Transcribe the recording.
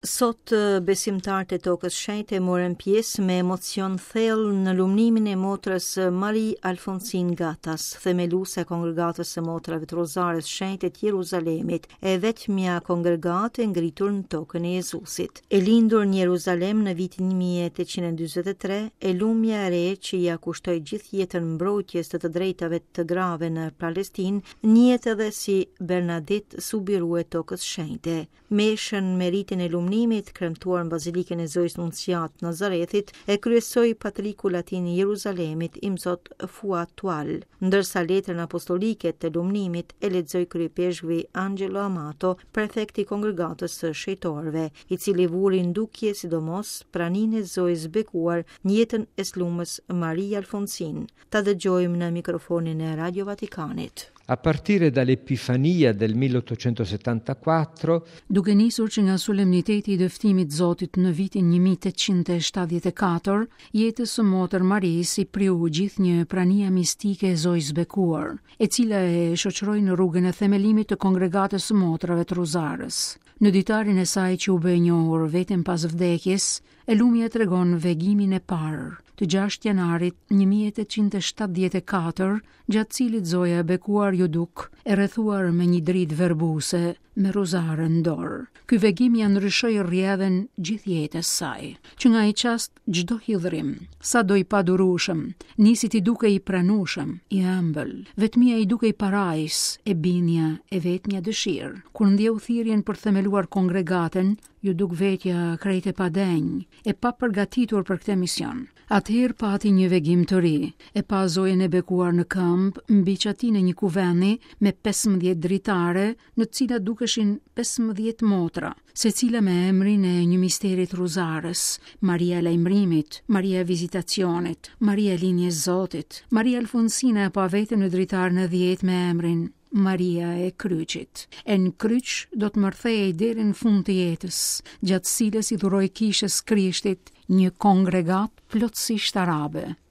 Sot besimtarët e Tokës Shenjte morën pjesë me emocion thellë në lumnimin e motrës Marie Alfonsin Ghattas, themeluese e Kongregatës së Motrave të Rozares Shenjte të Jeruzalemit, e vetmja kongregatë e ngritur në tokën e Jezusit. E lindur në Jeruzalem në vitin 1843, e lumja e re që ia kushtoi gjithë jetën mbrojtjes të të drejtave të grave në Palestinë, njihet edhe si Bernadette Soubirous e Tokës Shenjte. Meshën me ritin e lumnimit, kremtuar në Bazilikën e Zojës Nunciatë të Nazarethit, e kryesoi patriku latin i Jeruzalemit, Imzot Fuad Twal, ndërsa letrën apostolike të lumnimit e lexoi kryeipeshkvi Angelo Amato, prefekt i Kongregatës së Shenjtorëve, i cili vuri në dukje sidomos praninë e Zojës bekuar në jetën e s'lumës Marie Alfonsin. Ta dëgjojmë në mikrofonin e Radio Vatikanit. A partire dall'Epifania del 1874, Duke nisur që nga solemniteti i dëftimit Zotit në vitin 1874, jetës së motër Marisë i priu gjithnjë prania mistike e Zojës Bekuar, e cila e shoqëroi në rrugën e themelimit të Kongregatës së Motrave të Rozarës. Në ditarin e saj që u bë e njohur vetëm pas vdekjes, E lumja tregon vegimin e parë, të 6 janarit 1874, gjatë cilit Zoja e bekuar iu duk, e rrethuar me një dritë verbuse, me rozare në dorë. Ky vegim ia ndryshoi rrjedhën gjithë jetës saj. Që nga ai çast çdo hidhrim, sado i padurueshëm, nisi t'i dukej i pranueshëm, i ëmbël. Vetmia i dukej parajsë, e bindja e vetmja dëshirë. Kur ndjeu thirrjen për themeluar kongregatën, Iu duk vetja krejt e padenjë, e papërgatitur për këtë mision. Atëherë pati një vegim të ri, e pa Zojën e bekuar në këmbë mbi çatinë e një kuvendi me 15 dritare, në të cilat dukeshin 15 motra, secila me emrin e një misteri të Rozarës, Maria e Lajmërimit, Maria e Vizitacionit, Maria e Lindjes Zotit, Maria Alfonsina e pa veten në dritaren e 10 me emrin Maria e Kryqit. E në kryq do të mbërthehej deri në fund të jetës, gjatë cilës i dhuroi kishës Krishtit një kongregatë plotësisht arabe.